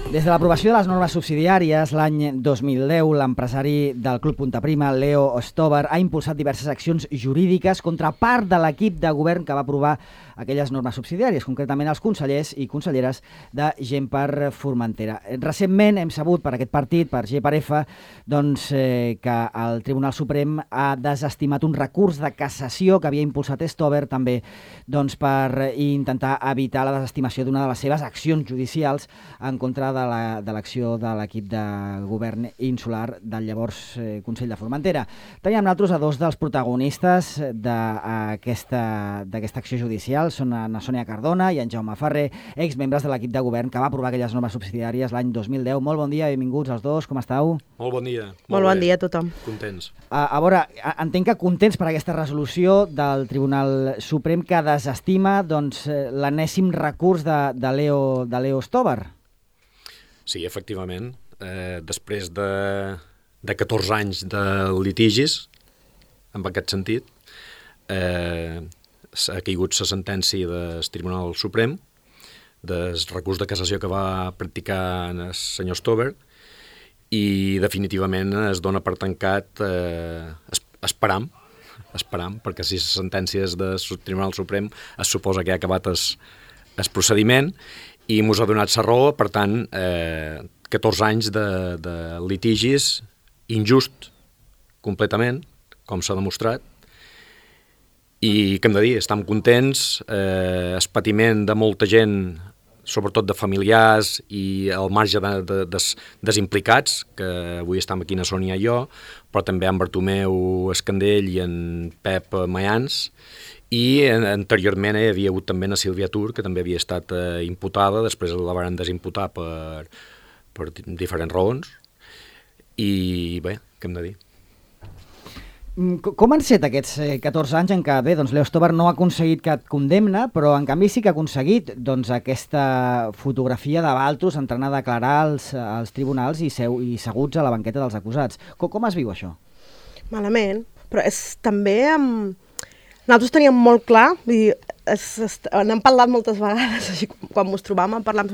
Des de l'aprovació de les normes subsidiàries l'any 2010, l'empresari del Club Punta Prima, Leo Ostobar, ha impulsat diverses accions jurídiques contra part de l'equip de govern que va aprovar aquelles normes subsidiàries, concretament els consellers i conselleres de Gent per Formentera. Recentment hem sabut per aquest partit, per G per F, que el Tribunal Suprem ha desestimat un recurs de cassació que havia impulsat Ostobar també per intentar evitar la desestimació d'una de les seves accions judicials en contra de l'acció de l'equip de govern insular del llavors Consell de Formentera. Teníem nosaltres a dos dels protagonistes d'aquesta acció judicial, són na Sònia Cardona i en Jaume Ferrer, exmembres de l'equip de govern que va aprovar aquelles normes subsidiàries l'any 2010. Molt bon dia, benvinguts els dos, com esteu? Molt bon dia. Molt bon dia a tothom. Contents. A veure, entenc que contents per aquesta resolució del Tribunal Suprem que desestima l'enèsim recurs de Leo Ostobar. Sí, efectivament. Després de 14 anys de litigis, en aquest sentit, ha caigut la sentència del Tribunal Suprem del recurs de cassació que va practicar el senyor Ostobar i definitivament es dona per tancat, esperam, perquè si les sentències del Tribunal Suprem es suposa que ha acabat el procediment i mos ha donat la raó, per tant, 14 anys de litigis injust, completament, com s'ha demostrat, i què hem de dir, estem contents, el patiment de molta gent, sobretot de familiars i al marge dels implicats, que avui estem aquí na Sònia i jo, però també en Bartomeu Escandell i en Pep Mayans, i anteriorment hi havia hagut també na Sílvia Tur, que també havia estat imputada, després la van desimputar per diferents raons, i bé, què hem de dir? Com han set aquests 14 anys en què, Leo Ostobar no ha aconseguit cap condemna, però en canvi sí que ha aconseguit aquesta fotografia de Valtros entrant a declarar als tribunals i seguts a la banqueta dels acusats. Com es viu això? Malament, però és també... Nosaltres teníem molt clar, n'hem parlat moltes vegades, així quan ens trobàvem parlant,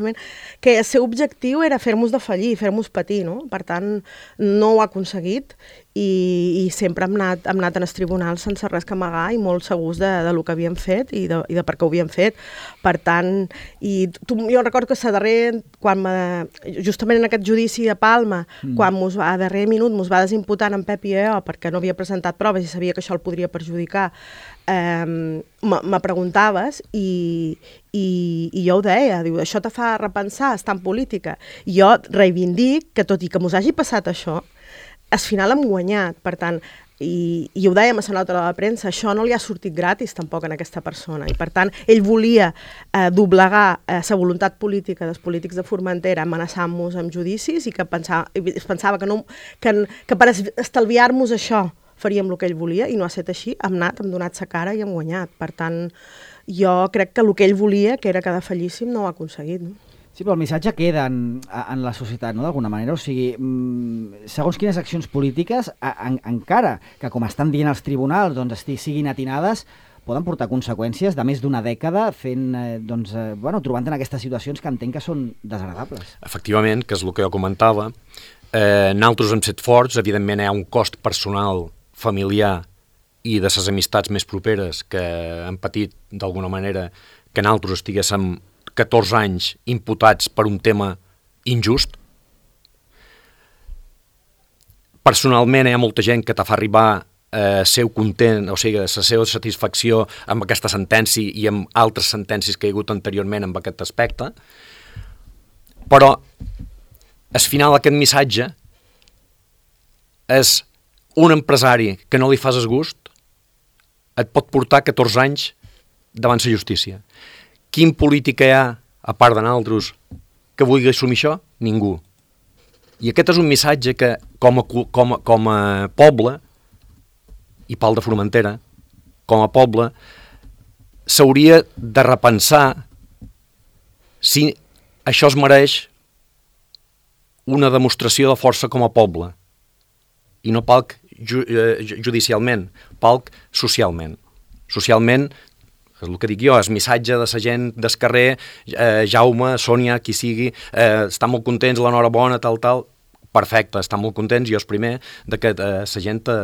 que el seu objectiu era fer-nos defallir, fer-nos patir, no? Per tant, no ho ha aconseguit i sempre hem anat en els tribunals sense res que amagar i molt segurs de lo que havíem fet i de per què ho havíem fet. Per tant, jo recordo que justament en aquest judici de Palma, quan a darrer minut ens va desimputar en Pep i jo perquè no havia presentat proves i sabia que això el podria perjudicar, me preguntaves i jo ho deia, diu, això te fa repensar, estar en política. I jo reivindic que tot i que mos hagi passat això, al final hem guanyat, per tant, i ho dèiem a la nota de la premsa, això no li ha sortit gratis tampoc a aquesta persona, i per tant ell volia doblegar la voluntat política dels polítics de Formentera amenaçant-nos amb judicis i que pensava que per estalviar-nos això faríem el que ell volia i no ha estat així, hem donat sa cara i hem guanyat. Per tant, jo crec que el que ell volia, que era que defallíssim, no ho ha aconseguit. No? Sí, però el missatge queda en la societat, no?, d'alguna manera. O sigui, segons quines accions polítiques, encara que, com estan dient els tribunals, siguin atinades, poden portar conseqüències de més d'una dècada trobant en aquestes situacions que entenc que són desagradables. Efectivament, que és el que jo comentava. Nosaltres hem set forts, evidentment hi ha un cost personal, familiar i de les amistats més properes que han patit d'alguna manera que nosaltres estiguéssim 14 anys imputats per un tema injust. Personalment hi ha molta gent que te fa arribar seu content, o sigui, la seva satisfacció amb aquesta sentència i amb altres sentències que hi ha hagut anteriorment en aquest aspecte, però al final aquest missatge és un empresari que no li fas el gust et pot portar 14 anys davant la justícia. Quin polític hi ha, a part de nosaltres, que vulgui assumir això? Ningú. I aquest és un missatge que, com a poble, i Pal de Formentera, com a poble, s'hauria de repensar si això es mereix una demostració de força com a poble, i no palc judicialment, palc socialment. Socialment és el que dic jo, el missatge de la gent del carrer, Jaume, Sònia, qui sigui, estan molt contents, l'enhorabona, tal, perfecte, estan molt contents, jo és primer, de que la gent te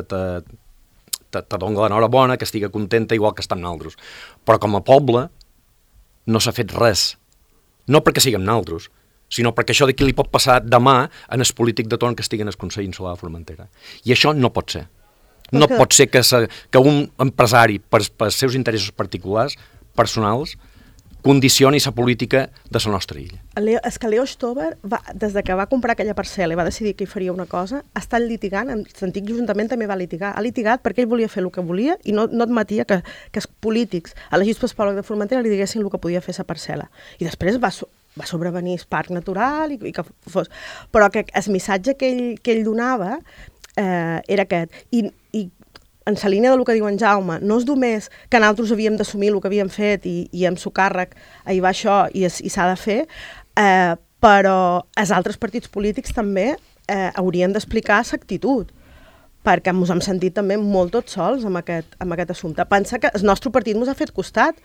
doni l'enhorabona, que estigui contenta igual que estan nosaltres. Però com a poble no s'ha fet res, no perquè siguem nosaltres, sinó perquè això d'aquí li pot passar demà en el polític de torn que estigui en el Consell Insular de Formentera. I això no pot ser. No pot ser que un empresari, per seus interessos particulars, personals, condicioni la política de la nostra illa. És que Leo Stover, des de que va comprar aquella parcel·la i va decidir que hi faria una cosa, ha estat litigant, l'antic Ajuntament també va litigar, ha litigat perquè ell volia fer el que volia i no admetia que els polítics elegits pel poble de Formentera li diguessin el que podia fer la parcel·la. I després va sobrevenir el parc natural i que fos... Però que el missatge que ell donava era aquest. I en la línia del que diu en Jaume, no és només que nosaltres havíem d'assumir el que havíem fet i amb su càrrec hi va això i s'ha de fer, però els altres partits polítics també haurien d'explicar l'actitud, perquè ens hem sentit també molt tots sols amb aquest assumpte. Pensa que el nostre partit ens ha fet costat,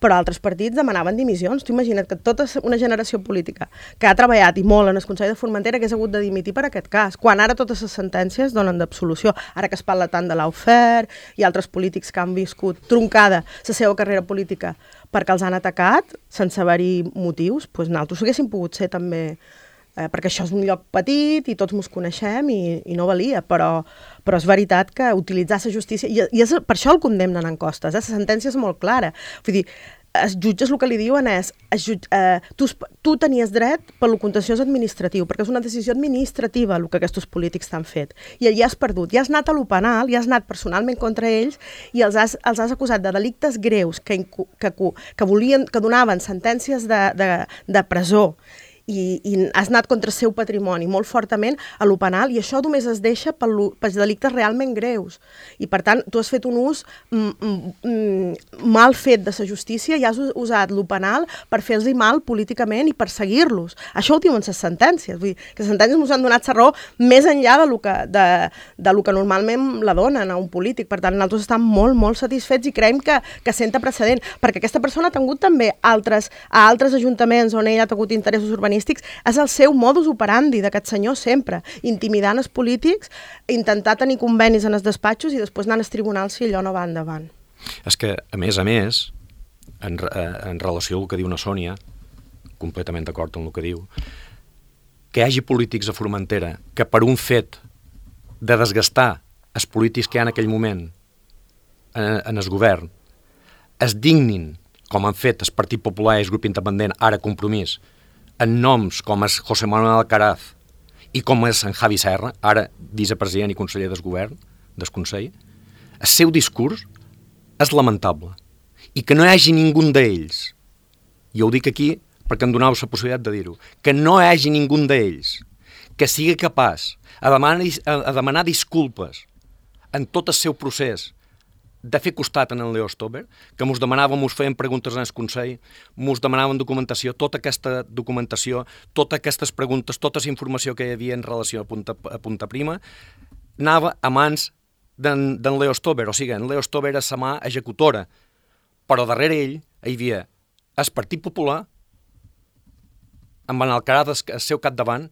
però altres partits demanaven dimissions. Tu imagina't que tota una generació política que ha treballat i molt en el Consell de Formentera hagués hagut de dimitir per aquest cas, quan ara totes les sentències donen d'absolució. Ara que es parla tant de l'Aufer i altres polítics que han viscut truncada la seva carrera política perquè els han atacat sense haver-hi motius, doncs nosaltres haguéssim pogut ser també... perquè això és un lloc petit i tots ens coneixem i no valia, però és veritat que utilitzar la justícia... I per això el condemnen en Costes, la sentència és molt clara. Vull dir, els jutges el que li diuen és tu tenies dret per lo contenciós administratiu, perquè és una decisió administrativa el que aquests polítics t'han fet, i allà has perdut, ja has anat a lo penal, ja has anat personalment contra ells i els has acusat de delictes greus que donaven sentències de presó i has anat contra el seu patrimoni molt fortament a lo penal, i això només es deixa pels delictes realment greus. I, per tant, tu has fet un ús mal fet de la justícia i has usat lo penal per fer-los mal políticament i perseguir-los. Això ho diuen les sentències. Vull dir, que les sentències ens han donat la raó més enllà de lo que normalment la donen a un polític. Per tant, nosaltres estem molt, molt satisfets i creiem que senta precedent, perquè aquesta persona ha tingut també a altres ajuntaments on ell ha tingut interessos urbanístics. És el seu modus operandi d'aquest senyor sempre, intimidant els polítics, intentar tenir convenis en els despatxos i després anar als tribunals si allò no va endavant. És que, a més, en relació al que diu una Sònia, completament d'acord amb el que diu, que hi hagi polítics a Formentera que per un fet de desgastar els polítics que hi ha en aquell moment en el govern es dignin, com han fet el Partit Popular i el grup independent, ara Compromís, en noms com és José Manuel Alcaraz i com és en Javi Serra, ara vicepresident i conseller del govern, del Consell, el seu discurs és lamentable. I que no hi hagi ningú d'ells, i ho dic aquí perquè em donau la possibilitat de dir-ho, que no hi hagi ningú d'ells que sigui capaç a demanar disculpes en tot el seu procés de fer costat en el Leo Stover, que mos demanàvem, mos feien preguntes en el Consell, mos demanaven documentació, tota aquesta documentació, totes aquestes preguntes, tota la informació que hi havia en relació a Punta Prima, anava a mans d'en Leo Stover, o sigui, en Leo Stover és la mà executora, però darrere ell hi havia el Partit Popular, amb en Alcaraz al seu capdavant,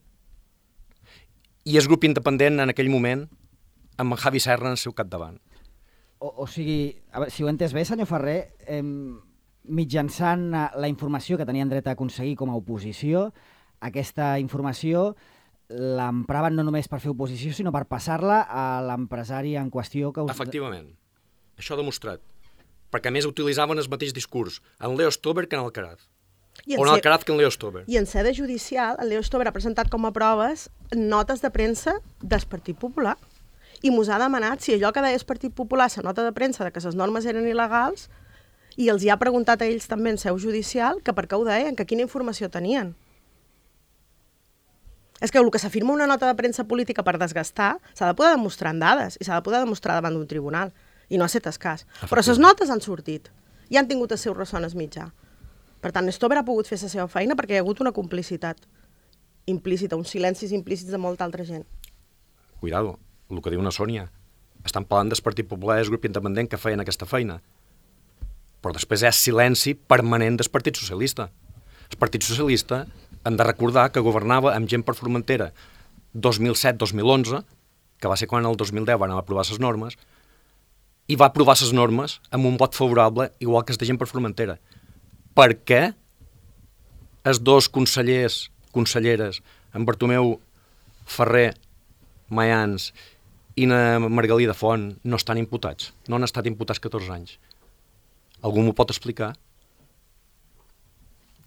i el grup independent en aquell moment, amb en Javi Serra en el seu capdavant. O sigui, a veure, si ho he entès bé, senyor Ferrer, mitjançant la informació que tenien dret a aconseguir com a oposició, aquesta informació l'empraven no només per fer oposició, sinó per passar-la a l'empresari en qüestió que... Efectivament, això demostrat. Perquè a més utilitzaven el mateix discurs en Leo Stover que en Alcaraz. O en Alcaraz que en Leo Stover. I en sede judicial, el Leo Stover ha presentat com a proves notes de premsa del Partit Popular. I mos ha demanat si allò que deia el Partit Popular, la nota de premsa de que les normes eren il·legals, i els hi ha preguntat a ells també en seu judicial que per què ho deien, que quina informació tenien. És que el que s'afirma una nota de premsa política per desgastar s'ha de poder demostrar en dades i s'ha de poder demostrar davant d'un tribunal. I no ha set cas. Però les notes han sortit i han tingut el seu ressò en el mitjà. Per tant, Stover ha pogut fer la seva feina perquè hi ha hagut una complicitat implícita, uns silencis implícits de molta altra gent. Cuidado. El que diu una Sònia, estan parlant del Partit Popular i el grup independent que feien aquesta feina. però després hi ha silenci permanent del Partit Socialista. El Partit Socialista hem de recordar que governava amb gent per Formentera 2007-2011, que va ser quan el 2010 van aprovar les normes, i va aprovar les normes amb un vot favorable, igual que els de gent per Formentera. Per què els dos conselleres, en Bartomeu Ferrer Mayans i na Margalida Font, no estan imputats? No han estat imputats 14 anys. Algú m'ho pot explicar?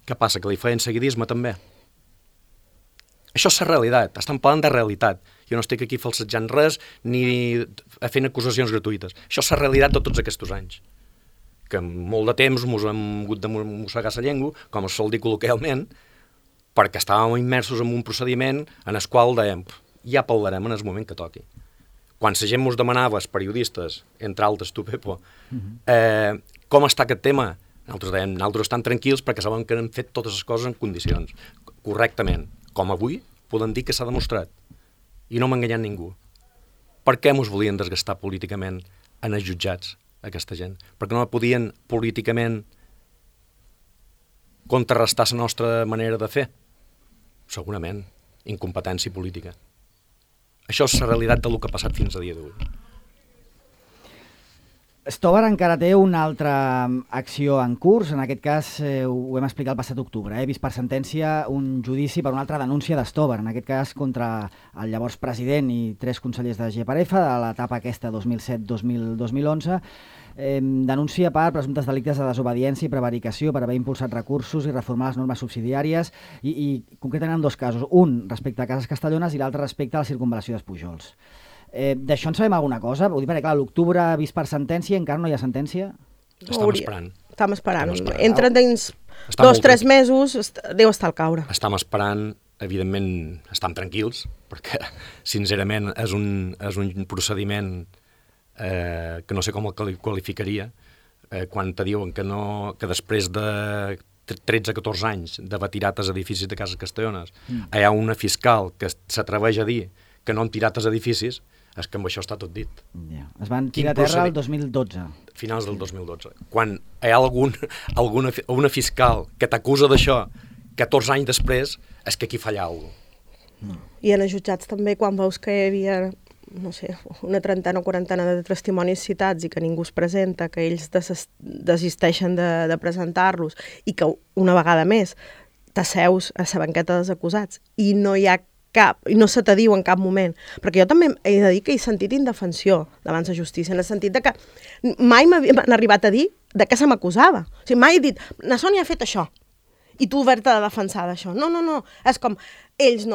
Què passa, que li feien seguidisme també? Això és la realitat, estan parlant de realitat. Jo no estic aquí falsejant res ni fent acusacions gratuïtes. Això és la realitat de tots aquests anys. Que molt de temps ens hem hagut de mossegar la llengua, com es sol dir col·loquialment, perquè estàvem immersos en un procediment en el qual dèiem ja parlarem en el moment que toqui. Quan la gent ens demanava, els periodistes, entre altres tu, Pepo, com està aquest tema? Nosaltres dèiem, nosaltres estem tranquils perquè sabem que hem fet totes les coses en condicions, correctament. Com avui podem dir que s'ha demostrat. I no m'ha enganyat ningú. Per què ens volien desgastar políticament en els jutjats, aquesta gent? Perquè no podien políticament contrarrestar la nostra manera de fer? Segurament, incompetència política. Això és la realitat del que ha passat fins a dia d'avui. Stobar encara té una altra acció en curs, en aquest cas ho hem explicat el passat octubre, vist per sentència un judici per una altra denúncia d'Stobar, en aquest cas contra el llavors president i 3 consellers de GPRF de l'etapa aquesta 2007-2011, denúncia per presumptes delictes de desobediència i prevaricació per haver impulsat recursos i reformar les normes subsidiàries i concretament en 2 casos, un respecte a Cases Castellones i l'altre respecte a la circunvalació dels Pujols. D'això en sabem alguna cosa? Vull dir, perquè clar, l'octubre vist per sentència, encara no hi ha sentència? Estem esperant. Estem esperant. Entre dins 2-3 mesos deu estar al caure. Estem esperant, evidentment estem tranquils, perquè sincerament és un procediment que no sé com el qualificaria, quan te diuen que després de 13-14 anys d'haver tirat els edificis de Cases Castellones hi ha una fiscal que s'atreveix a dir que no han tirat els edificis, és que amb això està tot dit. Yeah. Es van tirar a terra el 2012. Finals del 2012. Quan hi ha una fiscal que t'acusa d'això 14 anys després, és que aquí falla alguna cosa. I en els jutjats també, quan veus que hi havia, no sé, una trentena o quarantena de testimonis citats i que ningú es presenta, que ells desisteixen de presentar-los i que una vegada més t'asseus a la banqueta dels acusats i no hi ha i no se te diu en cap moment, perquè jo també he de dir que he sentit indefensió davant la justícia, en el sentit de que mai m'han arribat a dir de què se m'acusava. O sigui, mai he dit, na Sònia ha fet això, i tu haver-te de defensar d'això. No, és com, ells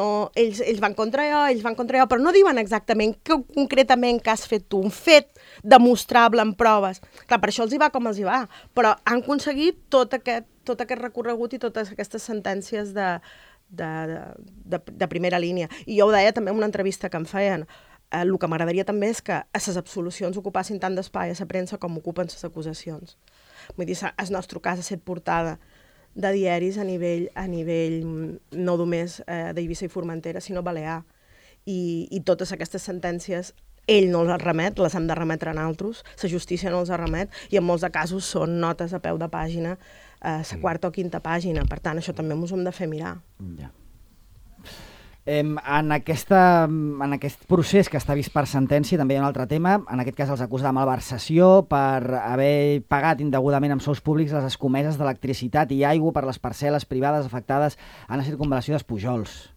van contra jo, però no diuen exactament concretament què has fet tu, un fet demostrable en proves. Clar, per això els hi va com els hi va, però han aconseguit tot aquest recorregut i totes aquestes sentències de primera línia. I jo ho deia també en una entrevista que em feien. El que m'agradaria també és que a les absolucions ocupassin tant d'espai a la premsa com ocupen les acusacions. Vull dir, el nostre cas ha estat portada de diaris a nivell no només d'Eivissa i Formentera, sinó balear. I totes aquestes sentències ell no les remet, les hem de remetre en altres, la justícia no els remet, i en molts de casos són notes a peu de pàgina, a la 4ª o 5ª pàgina. Per tant, això també ens ho hem de fer mirar. Ja. En aquest procés que està vist per sentència també hi ha un altre tema, en aquest cas els acusa de malversació per haver pagat indegudament amb sous públics les escomeses d'electricitat i aigua per les parcel·les privades afectades en la circunvalació dels Pujols.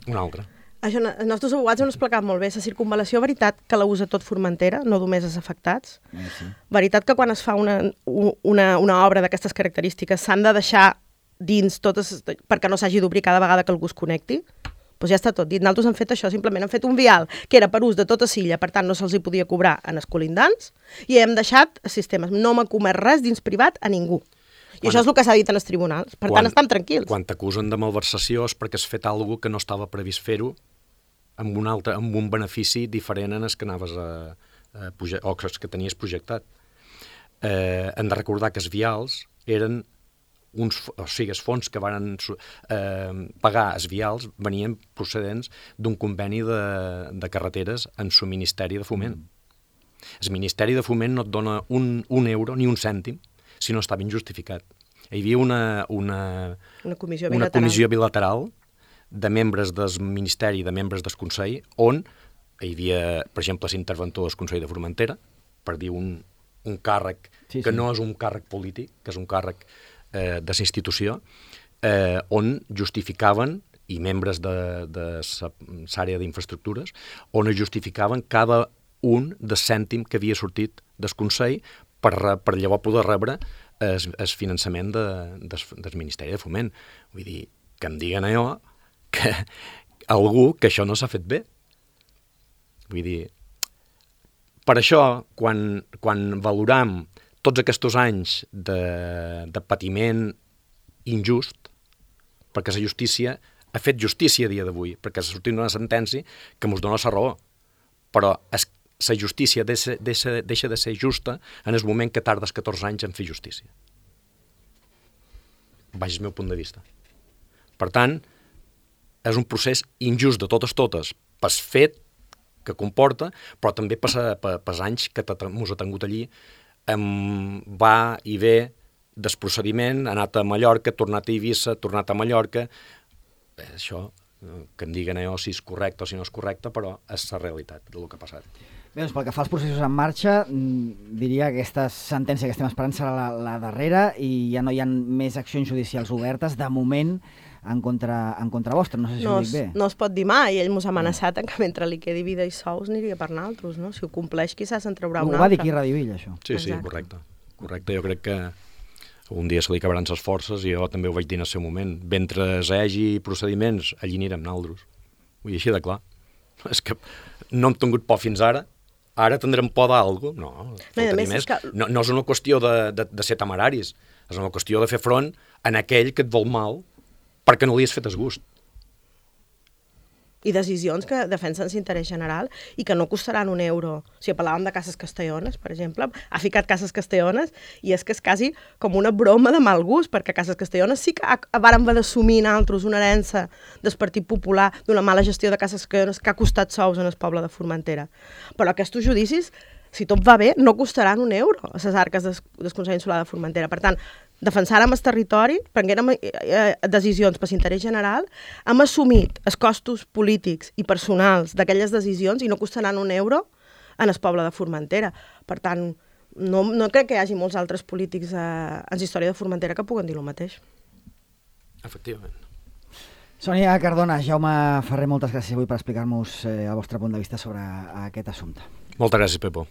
Un altre. Això, els nostres abogats ho han explicat molt bé. La circunvalació, veritat que la usa tot Formentera, no només els afectats. Sí. Veritat que quan es fa una obra d'aquestes característiques s'han de deixar dins totes, perquè no s'hagi d'obrir cada vegada que algú es connecti. Doncs ja està tot dit. Nosaltres hem fet això, simplement hem fet un vial que era per ús de tota Silla, per tant no se'ls hi podia cobrar en els colindants, i hem deixat sistemes. No m'ha comès res dins privat a ningú. I això és el que s'ha dit en els tribunals. Per tant, estem tranquils. Quan t'acusen de malversació és perquè has fet alguna cosa que no estava previst fer-ho amb un benefici diferent en el que anaves o que tenies projectat. Hem de recordar que els vials eren els fons que van pagar els vials venien procedents d'un conveni de carreteres en su Ministeri de Foment. El Ministeri de Foment no et dona un euro ni un cèntim si no està ben justificat. Hi havia una comissió bilateral de membres del Ministeri i de membres del Consell on hi havia, per exemple, l'interventor del Consell de Formentera, per dir un càrrec que no és un càrrec polític, que és un càrrec de la institució, on justificaven, i membres de l'àrea d'infraestructures, on es justificaven cada un del cèntim que havia sortit del Consell per llavors poder rebre el finançament del Ministeri de Foment. Vull dir, que em diguen allò que algú que això no s'ha fet bé. Vull dir, per això, quan valoram tots aquests anys de patiment injust, perquè la justícia ha fet justícia a dia d'avui, perquè s'ha sortit una sentència que ens dona la raó, però la justícia deixa de ser justa en el moment que tardes 14 anys en fer justícia. Baix el meu punt de vista. Per tant, és un procés injust de totes, pel fet que comporta, però també pels anys que ens ha tingut allí, va i ve del procediment, ha anat a Mallorca, ha tornat a Eivissa, ha tornat a Mallorca. Això, que em diguen allò si és correcte o si no és correcte, però és la realitat del que ha passat. Bé, doncs pel que fa als processos en marxa, diria que aquesta sentència que estem esperant serà la darrera i ja no hi ha més accions judicials obertes, de moment, en contra vostre. No sé si ho dic bé. No es pot dir mai. Ell mos ha amenaçat que mentre li quedi vida i sous aniria per naltros, no? Si ho compleix, quizás se'n traurà un altre. Ho va dir aquí a Radio Villa, això. Sí, correcte. Jo crec que un dia se li acabaran les forces i jo també ho vaig dir en el seu moment. Mentre hi hagi procediments, allí anirem naltros. Vull dir, així de clar. És que no hem tingut por fins ara. Ara tindrem por d'algú? No, no és una qüestió de ser temeraris, és una qüestió de fer front en aquell que et vol mal perquè no li has fet el gust. I decisions que defensen l'interès general i que no costaran un euro. O sigui, parlàvem de Cases Castellones, per exemple, ha ficat Cases Castellones i és que és quasi com una broma de mal gust, perquè Cases Castellones sí que vàrem haver d'assumir nosaltres una herència del Partit Popular d'una mala gestió de Cases Castellones que ha costat sous en el poble de Formentera. Però aquests judicis, si tot va bé, no costaran un euro a les arques del Consell Insular de Formentera. Per tant, defensàrem el territori, prenguérem decisions per l'interès general, hem assumit els costos polítics i personals d'aquelles decisions i no costaran un euro en el poble de Formentera. Per tant, no crec que hi hagi molts altres polítics en la història de Formentera que puguen dir el mateix. Efectivament. Sònia Cardona, Jaume Ferrer, moltes gràcies avui per explicar-nos el vostre punt de vista sobre aquest assumpte. Moltes gràcies, Pepo.